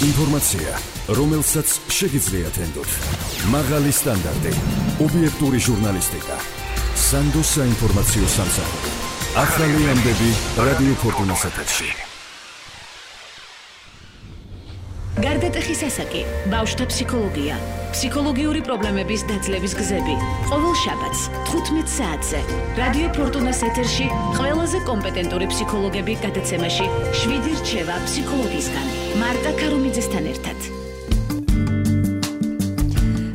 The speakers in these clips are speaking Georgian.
ინფორმაცია, რომელსაც შეგიძლიათ ენდოთ. მაღალი სტანდარტი, ობიექტური ჟურნალისტიკა. სანდოს საინფორმაციო სამსახური. ახალი ამბები რადიო ფორტუნას ეთერში. გარდატეხის ასაკი, ბავშვთა ფსიქოლოგია, ფსიქოლოგიური პრობლემების დაძლევის გზები. ყოველ შაბათს 15 საათზე რადიო ფორტუნას ეთერში ყველაზე კომპეტენტური ფსიქოლოგები გადაცემაში 7 რჩევა ფსიქოლოგისგან. მარტა ქარუმიძესთან ერთად.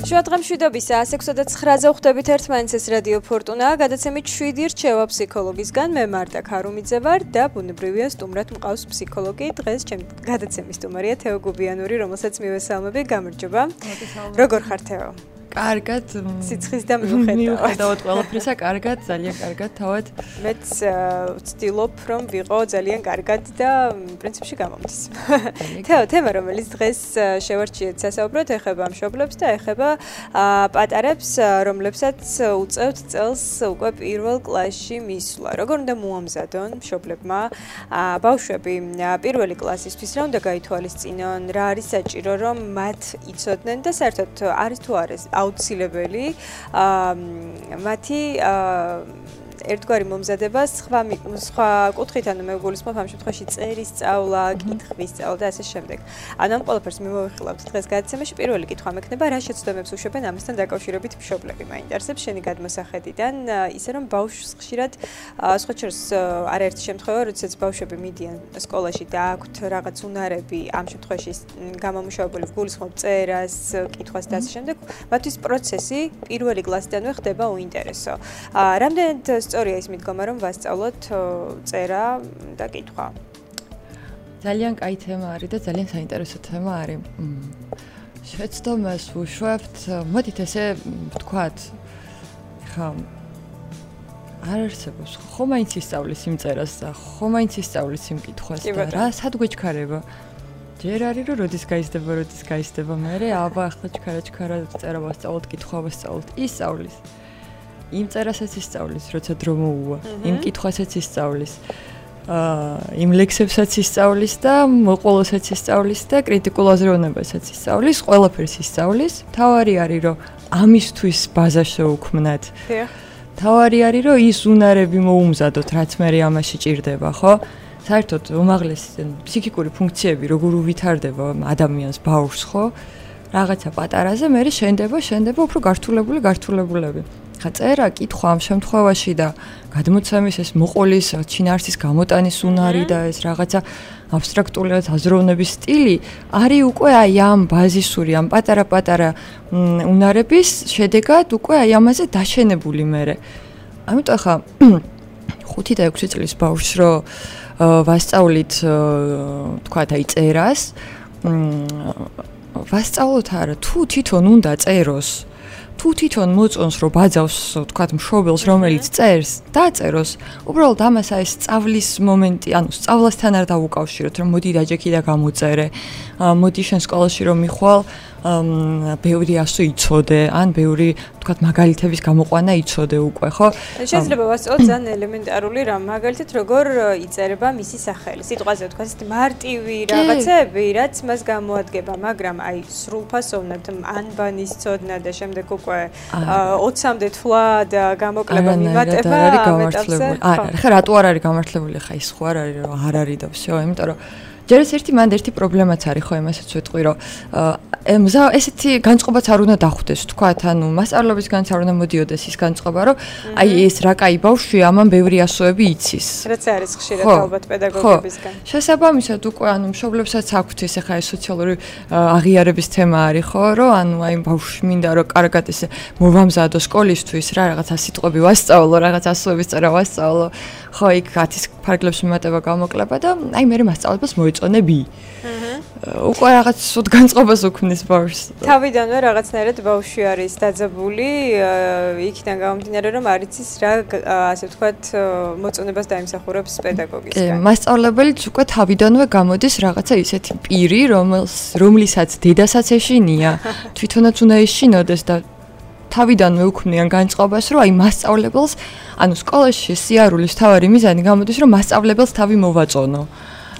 შუადღემშვიდობის 6:09-ზე ვხვდებით ერთმანეთს რადიო ფორტუნა. გადაცემით 7 რჩევა ფსიქოლოგისგან. მე მარტა ქარუმიძე ვარ და ბუნებრივია სტუმრად მყავს ფსიქოლოგი. დღეს ჩემი გადაცემის სტუმარია თეო გუბიანური, რომელსაც მივესალმები. გამარჯობა. როგორ ხარ თეო? კარგად. სიცხის და მიუხედავად ყველაფრისა, კარგად, ძალიან კარგად თავად. მეც ვცდილობ, რომ ვიყო ძალიან კარგად და პრინციპში გამომდის. თეო, თემა, რომელიც დღეს შევარჩიეთ სასაუბროდ, ეხება მშობლებს და ეხება პატარებს, რომლებსაც უწევთ წელს უკვე პირველ კლასში მისვლა. როგორ უნდა მოამზადონ მშობლებმა ბავშვები პირველი კლასისთვის, რა უნდა გაითვალისწინონ, რა არის საჭირო, რომ მათ იცოდნენ და საერთოდ არის თუ არა აუცილებელი მათი ერთგვარი მომზადება სხვა კუთხით, ანუ მე გულისხმობ ამ შემთხვევაში წერის სწავლა, კითხვის სწავლა და ასე შემდეგ. ანუ ამ ყველაფერს მივახილავთ დღეს გადაცემაში. პირველი კითხვა მექნება, რა შეცდომებს უშვებენ ამასთან დაკავშირებით მშობლები? მაინტერესებს შენი გადმოსახედიდან, ისე რომ ბავშვს ხშირად სხვა შორის არაერთი შემთხვევა, როდესაც ბავშვები მიდიან სკოლაში და აქვთ რაღაც უნარები, ამ შემთხვევაში გამომუშავებული გულისხმობ წერას, კითხვას და ასე შემდეგ, მათთვის პროცესი პირველი კლასიდანვე ხდება უინტერესო. რამდენად სწორია ის მიდგომა, რომ ვასწავლოთ წერა და კითხვა? ძალიან კაი თემა არის და ძალიან საინტერესო თემა არის. შეცდომას ვუშვებთ, მოდით ესე ვთქვათ, ხა არ არსებობს, ხო მაინც ისწავლის იმ წერას და ხო მაინც ისწავლის იმ კითხვას და რა სად გვეჩქარება? ჯერ არის რომ როდის გაიზრდება, მერე აბა ახლა ჩქარა წერა ვასწავლოთ, კითხვა ვასწავლოთ, ისწავლის. იმ წერასაც ისწავლის, როცა დრო მოუვა, იმ კითხვასაც ისწავლის, იმ ლექსებსაც ისწავლის და მოყოლოსაც ისწავლის და კრიტიკულ აზროვნებასაც ისწავლის, ყველაფერს ისწავლის. თავარი არის, რომ ამისთვის ბაზა შეუქმნათ. თავარი არის, რომ ის უნარები მოუმზადოთ, რაც მე ამაში ჭირდება, ხო? საერთოდ უმაღლესი ფსიქიკური ფუნქციები როგორ უვითარდება ადამიანს, ბავშვს, ხო? რაღაცა პატარაზე, მე შენდება უფრო გართულებულები. ხა წერა, კითხვა ამ შემთხვევაში და გადმოცემის ეს მოყოლის, ჩინარსის გამოტანის უნარი და ეს რაღაცა აბსტრაქტული აზროვნების სტილი არის უკვე აი ამ ბაზისური, ამ პატარა უნარების შედეგად უკვე აი ამაზე დაშენებული მერე. ამიტომ ხა 5 და 6 წლის ბავშვს რო ვასწავლით, თქვათ აი წერას, ვასწავლოთ არა, თუ თვითონ უნდა წეროს, თუ თვითონ მოწონს რომ ბაძავს, თქვათ მშობელს, რომელიც წერს, დაწეროს. უბრალოდ ამას აი სწავლის მომენტი, ანუ სწავლასთან არ დავუკავშიროთ, რომ მოდი დაჯექი და გამოწერე. მოდი შენ სკოლაში რომ მიხვალ, ბევრი ასო იცოდე, ან ბევრი, თქვათ, მაგალითების გამოყვანა იცოდე უკვე, ხო? შეიძლება ვასწავლოთ ძალიან ელემენტარული რამ, მაგალითად როგორ იწერება მისი სახელი. სიტყვაზე თქვათ, მარტივი რაღაცები, რაც მას გამოადგება, მაგრამ აი სრულფასოვნად ანბანის ცოდნა და შემდეგ უკვე 20-მდე თვლა და გამოკლება მიმატება ამეტავზე. ხა რატო არ არის გამართლებული, ხა ის ხო არ არის, რომ არ არის და всё, იმიტომ რომ ჯერ ერთი პრობლემაც არის, ხო, იმასაც ვეთყვი, რომ ესეთი განწყობაც არ უნდა დახვდეს, თქვათ, ანუ მასწავლებლობის განც არ უნდა მოდიოდეს ის განწყობა, რომ აი ეს რა კაი ბავშვია, ამან ბევრი ასოები იცის. რაც არის ხშირად ალბათ პედაგოგებისგან. შესაბამისად უკვე ანუ მშობლებსაც აქვთ ეს ახლა ეს სოციალური აღიარების თემა არის, ხო, რომ ანუ აი ბავშვი მინდა რომ კარგად ესე მოვამზადო სკოლისთვის, რა რაღაცა სიტყვები ვასწავლო, რაღაც ასოების წერა ვასწავლო, ხო, იქ 10 ფარგლებს მიმატება გამოკლება და აი მე მასწავლებლებს მოეწონები. უკვე რაღაც სულ განწყობას უქმნის ბავშვს. თავიდანვე რაღაცნაირად ბავშვი არის დაძაბული, იქიდან გამომდინარე რომ არ იცის რა, ასე ვთქვათ, მოწონებას დაიმსახურებს პედაგოგისგან. მასწავლებელიც უკვე თავიდანვე გამოდის რაღაცა ისეთი პირი, რომლისაც დედასაც ეშინია, თვითონაც უნდა ეშინოდეს და თავიდანვე უქმნიან განწყობას, რომ აი მასწავლებელს, ანუ სკოლაში სიარულის თავარი მიზანი გამოდის, რომ მასწავლებელს თავი მოვაწონო.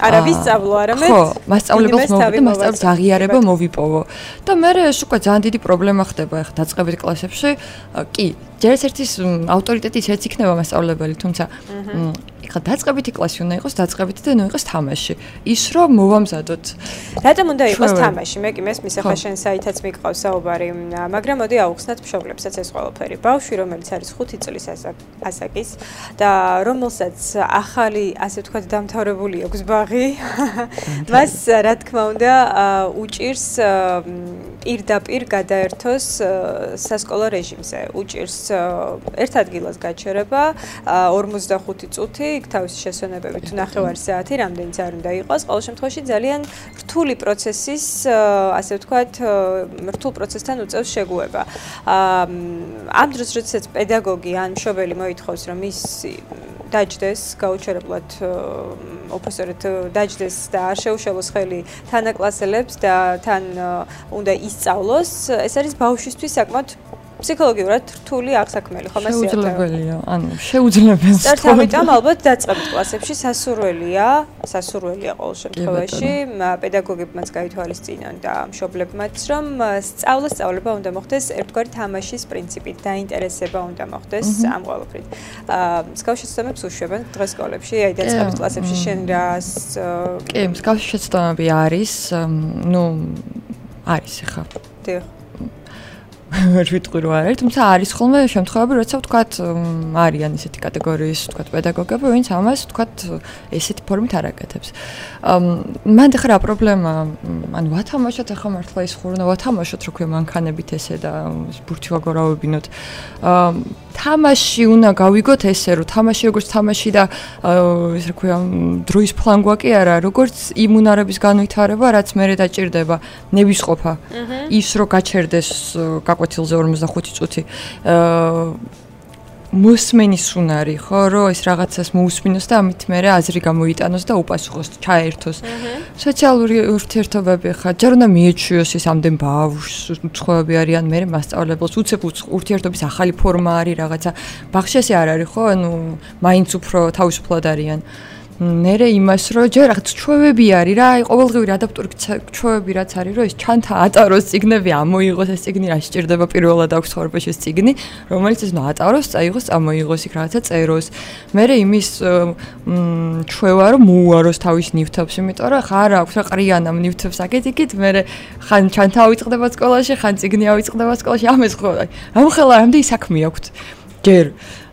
არა ვისწავლო, არამედ ხო, მასწავლებელს მოვიდე, მასწავლებლის აღიარება მოვიპოვო. და მე ეს უკვე ძალიან დიდი პრობლემა ხდება ახლა დაწყებით კლასებში. კი, ჯერ ერთის ავტორიტეტი ისეც იქნება მასწავლებელი, თუმცა ეხლა დაწყებითი კლასი უნდა იყოს, დაწყებითი და ნუ იყოს თამაში. ის რომ მოვამზადოთ. რატომ უნდა იყოს თამაში? მე კი მესმის ახლა შენ საითაც მიყავს საუბარი, მაგრამ მოდი ავუხსნათ მშობლებსაც ეს ყველაფერი. ბავშვი, რომელიც არის 5 წლის ასაკის და რომელსაც ახალი, ასე ვთქვათ, დამთავრებული აქვს ბაღი, მას რა თქმა უნდა უჭირს პირდაპირ გადაერთოს სასკოლო რეჟიმზე. უჭირს ერთ ადგილას გაჩერება 45 წუთი, იქ თავისი შესვენებებით ნახევარი საათი, რამდენიც არ უნდა იყოს. ყოველ შემთხვევაში ძალიან რთული პროცესის, ასე ვთქვათ, რთულ პროცესთან უწევს შეგუება. ამ დროს, როდესაც პედაგოგი ან მშობელი მოითხოვს, რომ ის დაჯდეს გაუჩერებლად უპროფესორად დაჯდეს და არ შეუშალოს ხელი თანაკლასელებს და თან უნდა ისწავლოს, ეს არის ბავშვისთვის საკმაოდ ფსიქოლოგიურად რთული აღსაქმელი, ხომ ასე? შეუძლებელია, ანუ შეუძლებელია. სწორედ ამიტომ ალბათ დაწყებით კლასებში სასურველია ყოველ შემთხვევაში, პედაგოგებმაც გაითვალისწინონ და მშობლებმაც, რომ სწავლება უნდა მოხდეს ერთგვარი თამაშის პრინციპით, დაინტერესება უნდა მოხდეს ამ ყველაფრით. მსგავსი შეცდომებს უშვებენ დღეს სკოლებში, აი დაწყებით კლასებში შენ რას კი, მსგავსი შეცდომები არის, არის ახლა. დიახ. ვერ ვიტყვი რომ არ არის, თუმცა არის ხოლმე შემთხვევები, როცა ვთქვათ, არიან ისეთი კატეგორიის, ვთქვათ, პედაგოგები, ვინც ამას, ვთქვათ, ესეთი ფორმით არ აკეთებს. მან ახლა რა პრობლემა, ანუ ვათამაშოთ ახლა მართლა ის ხურნა, ვათამაშოთ რო ქვია მანქანებით ესე და ბურთი ვაგორავებინოთ. თამაში უნდა გავიგოთ ესე, რომ თამაში როგორც თამაში და ეს რა ქვია, დროის ფლანგვა კი არა, როგორც იმუნარების განვითარება, რაც მერე დაჭირდება, ნებისყოფა. ის რო გაჩერდეს გაკვეთილზე 45 წუთი. მოსმენის უნარი, ხო, რომ ეს რაღაცას მოусმინოს და ამით მერე აზრი გამოიტანოს და უპასუხოს, ჩაერთოს. სოციალური ურთიერთობები ხა ჯერ უნდა მიეჩვიოს ის ამდენ ბავშვს, უცხოები არიან, მერე მასწავლებელს უცებ ურთიერთობის ახალი ფორმა არის რაღაცა. ბაღში ესე არ არის, ხო, ანუ მაინც უფრო თავისუფლად არიან. მერე იმას რომ ჯერ რაღაც ჩვევები არის რა, აი ყოველდღიური ადაპტური ჩვევები რაც არის, რომ ეს ჩანთა ატაროს წიგნები, ამოიღოს ეს წიგნი, რა სჭირდება პირველად აქვს ცხოვრებაში ეს წიგნი, რომელიც ეს ატაროს, წაიღოს, წამოიღოს იქ რაღაცა წეროს. მერე იმის ჩვევა რომ მოუაროს თავის ნივთებს, იმიტომ რომ ხარ აქვს რა ყრიან ამ ნივთებს აკეთიკით, მერე ხან ჩანთა ავიწყდება სკოლაში, ხან წიგნი ავიწყდება სკოლაში, ამას ხო, ამ ხელა რამდენი საქმე აქვს. ჯერ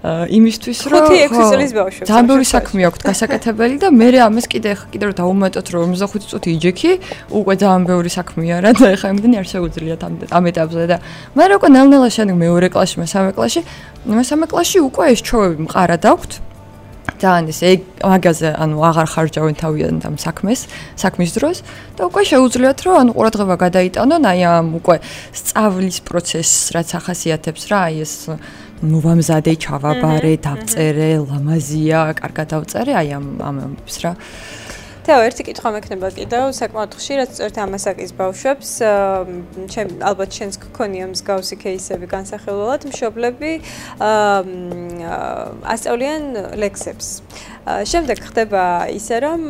იმისთვის რომ 5-6 წლის ბავშვებს ძალიან ბევრი საქმე აქვს გასაკეთებელი და მე ამას კიდე რომ დავუმატოთ რომ 55 წუთი იჯექი უკვე ძალიან ბევრი საქმეა რა და ეხლა იმდენი არ შეუძლიათ ამ ეტაპზე და მე უკვე ნელ-ნელა შემდეგ მეორე კლასში მესამე კლასში უკვე ეს ჩვევები მყარად აქვთ ძალიან ეს მაგაზე ანუ აღარ ხარჯავენ თავიანთ ამ საქმის დროს და უკვე შეუძლიათ რომ ანუ ყურადღება გადაიტანონ აი ამ უკვე სწავლის პროცესს რაც ახასიათებს რა აი ეს მოვამზადე, ჩავაბარე, დავწერე, ლამაზია, კარგად დავწერე, აი ამებს რა. თეო, ერთი კითხვა მექნება კიდევ, საკმაოდ ხშირად სწორედ ამასაკის ბავშვებს, ალბათ შენს გქონია მსგავსი кейსები განსახილველად, მშობლები ასწავლიან ლექსებს. შემდეგ ხდება ისე, რომ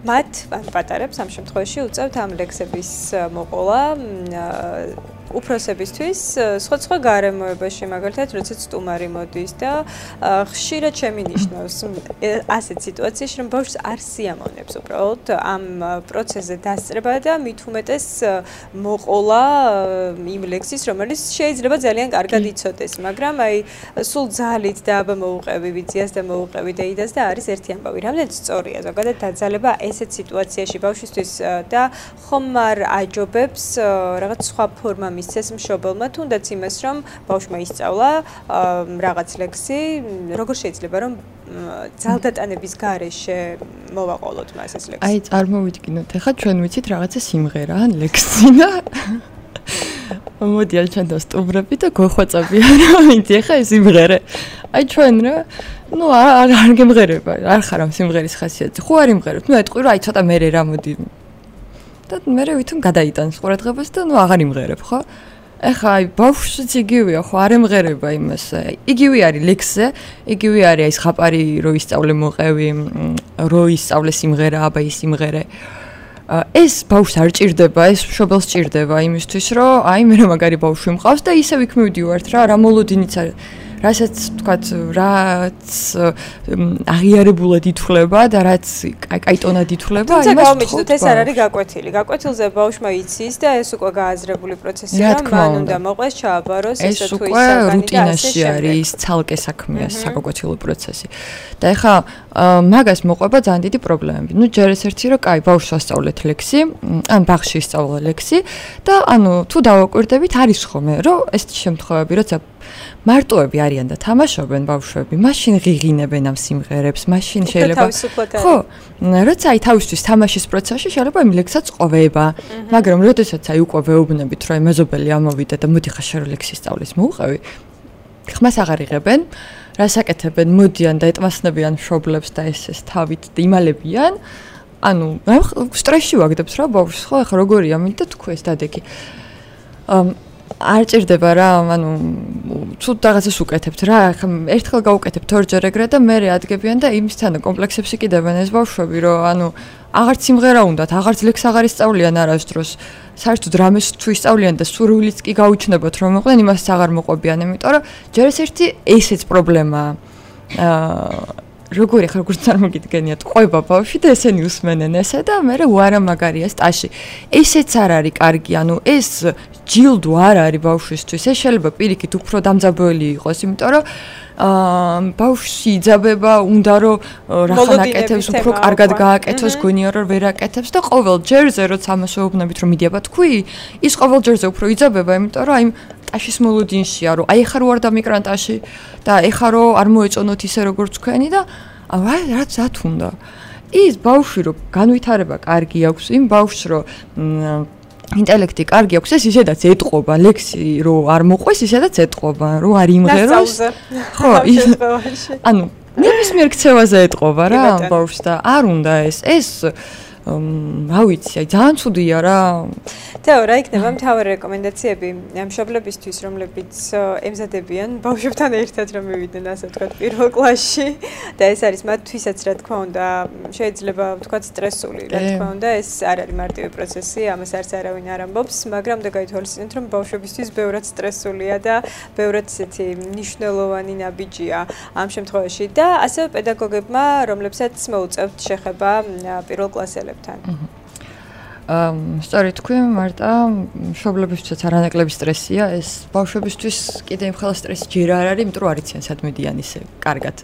მათ, ან პატარებს ამ შემთხვევაში უწევთ ამ ლექსების მოყოლა უფროსებისთვის სხვა გარემოებაში მაგალითად როდესაც სტუმარი მოდის და ხშირად შემინიშნავს ასეთ სიტუაციაში რომ ბავშვს არ სიამოვნებს უბრალოდ ამ პროცესზე დასწრება და მით უმეტეს მოყოლა იმ ლექსის რომელიც შეიძლება ძალიან კარგად იცოდეს მაგრამ აი სულ ძალით და აბა მოუყევი ვიზიას და მოუყევი დეიდას და არის ერთი ამბავი რამდენიც სწორია ზოგადად დაძალება ესეთ სიტუაციაში ბავშვისთვის და ხომ არ აჯობებს რაღაც სხვა ფორმა მისცეს მშობელმა თუნდაც იმას რომ ბავშვმა ისწავლა რაღაც ლექსი როგორ შეიძლება რომ ძალდატანების გარეშე მოვაყოლოთ მას ეს ლექსი აი წარმოვიდგინოთ ახლა ჩვენ ვიცით რაღაცა სიმღერა ან ლექსი და მოდიან ჩვენ დავსტუმრები და გვხვეწებიან რომ იცი ახლა ეს სიმღერა აი ჩვენ რა ну არ გემღერება არ ხარ ამ სიმღერის ხასიათი ხო არ იმღერებ ну ეტყვი რომ აი ცოტა მერე რა მოდი და მერე ვითომ გადაიტანს ყურადღებას და ну აღარ იმღერებ ხო ეხა აი ბავშვიც იგივეა, ხო არ ემღერება იმას. იგივე არის ლექსზე, იგივე არის აი ხაპარი რო ისწავლე მოყევი, რო ისწავლე სიმღერა, აბა ის სიმღერე. ეს ბავშვს არ ჭირდება, ეს მშობელს ჭირდება იმისთვის, რომ აი მე მაგარი ბავშვი მყავს და ისევ იქ მივდივართ რა, რა მოლოდინიც არის. რასაც თქვათ, რაც აღიარებულად ითვლება და რაც კაიტონად ითვლება, იმას გავამიჩნდეთ, ეს არ არის გაკვეთილი. გაკვეთილზე ბავშვმა იცის და ეს უკვე გააზრებული პროცესია, რომ მან უნდა მოყვეს, ჩააბაროს, ესე თუ ის რუტინაში არის, ცალკე საქმეა საგაკვეთილო პროცესი. და ეხა მაგას მოყვება ძალიან დიდი პრობლემები. ნუ ჯერ ეს ერთი რომ კაი, ბავშვს ასწავლეთ ლექსი, ან ბაღში ისწავლა ლექსი და ანუ თუ დავაკვირდებით, არის ხოლმე, რომ ეს შემთხვევები, როცა მარტოები არიან და თამაშობენ ბავშვები, მაშინ ღიღინებენ ამ სიმღერებს, მაშინ შეიძლება ხო, როცა აი თავისთვის თამაშის პროცესში შეიძლება იმ ლექსსაც ყვება, მაგრამ როდესაც აი უკვე ვეუბნებით, რომ აი მეზობელი ამოვიდა და მოდი ხაშე რო ლექსი სწავლის მოუყევი, ხმას აღარ იღებენ, რას აკეთებენ, მოდიან და ეტმასნებიან მშობლებს და ეს თავით იმალებიან, ანუ სტრესში ვაგდებს რა ბავშვს, ხო, ახლა როგორია, მინდა თქვი ეს დადეგი. არ ჭირდება რა, ანუ თუ რაღაცას უკეთებთ რა, ხა ერთხელ გაუკეთებთ ორჯერ ეგრე და მე ადგებიან და იმისთან კომპლექსებს იკიდებენ ეს ბავშვები, რომ ანუ აღარც სიმღერა უნდათ, აღარც ლექს აღარ ისწავლიან არასდროს. საერთოდ რამეს თუ ისწავლიან და სურვილიც კი გაუჩნდებათ რომ მოყვნენ, იმასაც აღარ მოყვებიან, იმიტომ რომ ჯერ ესეთი ესეც პრობლემაა. როგორი ხარ როგორც წარმოგიდგენიათ, ყვება ბავშვი და ესენი უსმენენ ესე და მე უარა მაგარია სტაში. ესეც არ არის კარგი, ანუ ეს ჯილდო არ არის ბავშვისთვის. ეს შეიძლება პირიქით უფრო დამძაბველი იყოს, იმიტომ რომ ბავშვი იძაბება, უნდა რომ რახან აკეთებს, უფრო კარგად გააკეთოს, გონია რომ ვერ აკეთებს და ყოველ ჯერზე როცა ამას ვეუბნებით რომ მიდიაბა თქვი, ის ყოველ ჯერზე უფრო იძაბება, იმიტომ რომ აი ტაშის მოლოდინშია, რომ აი ხარ ვარ და მიგრანტაში და ეხა რომ არ მოეწონოთ ისე როგორც თქვენი და აი რაც ათუნდა. ის ბავშვი რომ განვითარება კარგი აქვს, იმ ბავშვს რომ ინტელექტი კარგი აქვს, ეს ისედაც ეტყობა, ლექსი რო არ მოყვეს, ისედაც ეტყობა, რო არ იმღეროს. ხო, ანუ ნებისმიერ ქცევაზე ეტყობა რა ბავშვს და არ უნდა ეს რა ვიცი, აი ძალიან ცუდია რა. თეო, რა იქნება მთავარი რეკომენდაციები მშობლებისთვის, რომლებიც ემზადებიან ბავშვებთან ერთად რომ მივიდნენ, ასე ვთქვათ, პირველ კლასში და ეს არის მათთვისაც, რა თქმა უნდა, შეიძლება ვთქვათ, სტრესული, რა თქმა უნდა, ეს არ არის მარტივი პროცესი, ამას არც არავინ არ ამბობს, მაგრამ და გაითვალისწინეთ, რომ ბავშვებისთვის ბევრად სტრესულია და ბევრად ისეთი მნიშვნელოვანი ნაბიჯია ამ შემთხვევაში და ასევე პედაგოგებმა, რომლებსაც მოუწევთ შეხება პირველ კლასელებთან. სწორედ თქვი, მარტა, მშობლებისთვისაც არანაკლები სტრესია, ეს ბავშვებისთვის კიდე იმ ხელა სტრესი ჯერ არ არის, იმიტომ რომ არ იციან სად მიდიან ისე კარგად.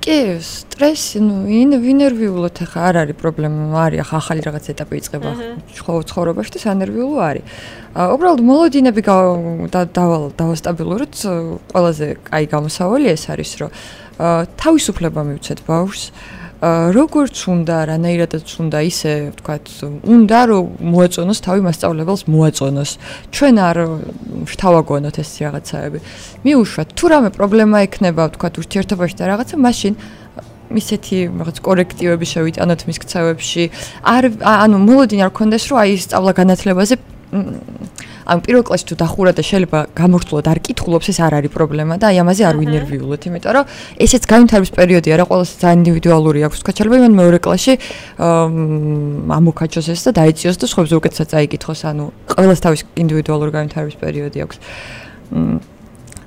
კი, სტრესი, ნუ ინერვიულოთ ახლა არ არის პრობლემა, არის ახლა ახალი რაღაც ეტაპი იწყება ცხოვრებაში და სანერვიულო არის. უბრალოდ მოლოდინები დავასტაბილუროთ, ყველაზე კაი გამოსავალი ეს არის, რომ თავისუფლება მივცეთ ბავშვს. როგორც უნდა, რანაირადაც უნდა ისე, ვთქვათ, უნდა რომ მოეწონოს თავი მასწავლებელს მოეწონოს. ჩვენ არ შთავაგონოთ ეს რაღაცაები. მიუშვათ, თუ რამე პრობლემა ექნება, ვთქვათ, ურთიერთობაში და რაღაცა, მაშინ ისეთი რაღაც კორექტივები შევიტანოთ მის ქცევებში. ანუ მოლოდინი არ გქონდეს, რომ აი სწავლა განათლებაზე ამ პირველ კლასში თუ დახურა და შეიძლება გამორთულად არ კითხულობს, ეს არ არის პრობლემა და აი ამაზე არ ვინერვიულოთ, იმიტომ რომ ესეც განვითარების პერიოდია რა, ყოველს ძალიან ინდივიდუალური აქვს. თქვა შეიძლება იმან მეორე კლასში ამოქაჩოს ეს და დაეციოს და სხვებზე უკეთესად წაიკითხოს, ანუ ყოველს თავის ინდივიდუალური განვითარების პერიოდი აქვს.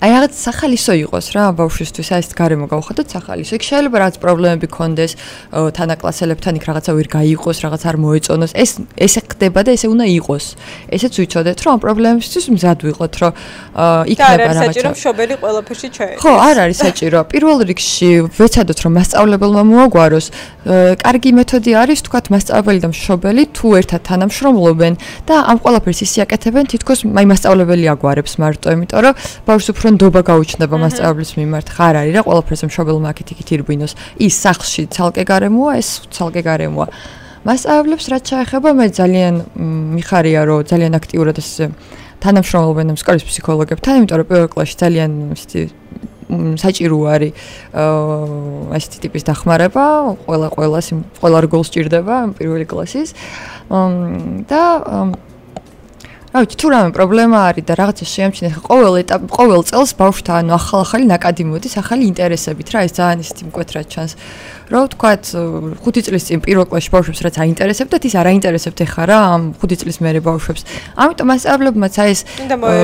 აი რაღაც სახალისო იყოს რა ბავშვისთვის, აი ეს გარემო გავხადოთ სახალისო. იქ შეიძლება რაღაც პრობლემები ქონდეს თანაკლასელებთან, იქ რაღაცა ვერ გაიყოს, რაღაც არ მოეწონოს. ესე ხდება და ესე უნდა იყოს. ესეც ვიცოდეთ, რომ ამ პრობლემებისთვის მზად ვიყოთ, რომ იქნება რაღაცა. და არ არის საჭირო მშობელი ყველაფერში ჩაერთოს. ხო, არ არის საჭირო. პირველ რიგში ვეცადოთ, რომ მასწავლებელმა მოაგვაროს. კარგი მეთოდი არის, თქვათ, მასწავლებელი და მშობელი თუ ერთად თანამშრომლობენ და ამ ყველაფერს ისე აკეთებენ, თითქოს აი მასწავლებელი აგვარებს მარტო, იმიტომ რომ ბავშვს უფრო ნდობა გაუჩნდება მასწავლებლის მიმართ. ხარ არის რა, ყველაფერზე მშობელმა აქეთ-იქით ირბინოს. ის სახლში ცალკე გარემოა, ეს ცალკე გარემოა. მასწავლებლებს რაც შეეხება, მე ძალიან მიხარია, რომ ძალიან აქტიურად ეს თანამშრომლობენ სკოლის ფსიქოლოგებთან, იმიტომ რომ პირველ კლასში ძალიან ისეთი საჭირო არის ასეთი ტიპის დახმარება, ყველა რგოლს ჭირდება პირველი კლასის და რა ვიცი, თუ რამე პრობლემა არის და რაღაცა შეამჩნიეთ, ყოველ წელს ბავშვთა ანუ ახალი ნაკადი მოდის, ახალი ინტერესებით რა, ეს ძალიან ისეთი მკვეთრად ჩანს. Რა ვთქვათ, 5 წლის წინ პირველ კლასში ბავშვებს რაც აინტერესებდათ, ის არ აინტერესებთ ეხლა რა, ამ 5 წლის მერე ბავშვებს. ამიტომ მასწავლებლებმაც აი ეს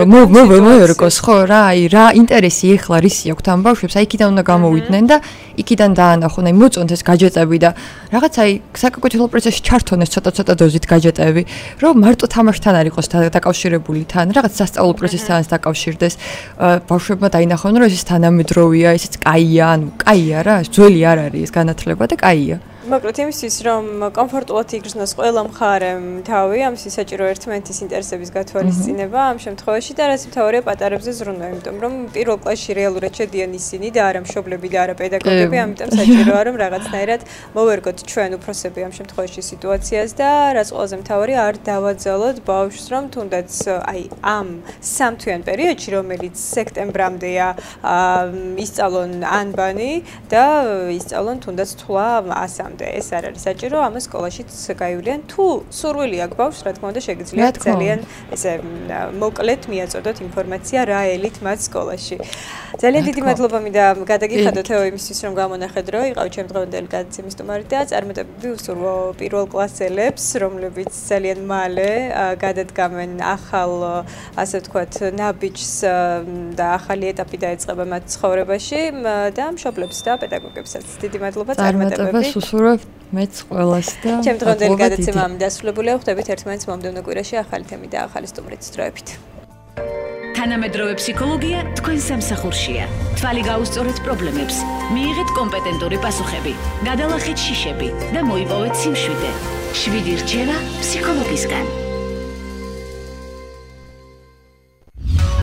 მოერგოს ხო რა, აი რა ინტერესი ეხლა რისი აქვთ ამ ბავშვებს, აი იქიდან უნდა გამოვიდნენ და იქიდან დაანახონ, აი მოწონთ ეს გაჯეტები და რაღაც აი საკაკუთილო პროცესში ჩართონ ეს ცოტა დოზით გაჯეტები, რომ მარტო თამაშთან არ იყოს დაკავშირებული თან, რაღაც სასწავლო პროცესთან დაკავშირდეს. ბავშვებმა დაინახონ, რომ ეს თანამედროვეა, ესეც კაია, ანუ კაია რა, ძველი არ არის ეს განათლება და კაია. მოკლედ იმისთვის რომ კომფორტულად იგრძნოს ყველა მხარემ თავი, ამისთვის საჭირო ერთმანეთის ინტერესების გათვალისწინება ამ შემთხვევაში და რაც მთავარია პატარებზე ზრუნვა, იმიტომ რომ პირველ კლასში რეალურად შედიან ისინი და არა მშობლები და არა პედაგოგები, ამიტომ საჭიროა რომ რაღაცნაირად მოვერგოთ ჩვენ უფროსები ამ შემთხვევაში სიტუაციას და რაც ყველაზე მთავარია არ დავაძალოთ ბავშვს რომ თუნდაც აი ამ სამთვიან პერიოდში რომელიც სექტემბრამდეა ისწავლონ ანბანი და ისწავლონ თუნდაც თვლა 100-მდე. ეს არ არის საჭირო, ამას სკოლაშიც გაივლიან. თუ სურვილი აქვს ბავშვს, რა თქმა უნდა, შეგიძლიათ ძალიან ესე მოკლედ მიაწოდოთ ინფორმაცია რა ელით მათ სკოლაში. ძალიან დიდი მადლობა მინდა გადაგიხადოთ ეთო იმისთვის, რომ გამონახეთ, რომ იყავით ჩემი დღევანდელი გადაცემის სტუმარი და წარმატებები უსურვო პირველ კლასელებს, რომლებიც ძალიან მალე გადადგამენ ახალ, ასე ვთქვათ, ნაბიჯს და ახალი ეტაპი დაეწყება მათ ცხოვრებაში და მშობლებს და პედაგოგებსაც. დიდი მადლობა, წარმატებები. მეც ყველას და ჩემი დღევანდელი გადაცემა დასრულებულია. ხვდებით ერთმანეთს მომდევნო კვირაში ახალი თემით და ახალი სტუმრით სწროებით. თანამედროვე ფსიქოლოგია თქვენ სამსახურშია. თვალი გაუსწორეთ პრობლემებს, მიიღეთ კომპეტენტური პასუხები, გადალახეთ შიშები და მოიპოვეთ სიმშვიდე. 7 რჩევა ფსიქოლოგისგან.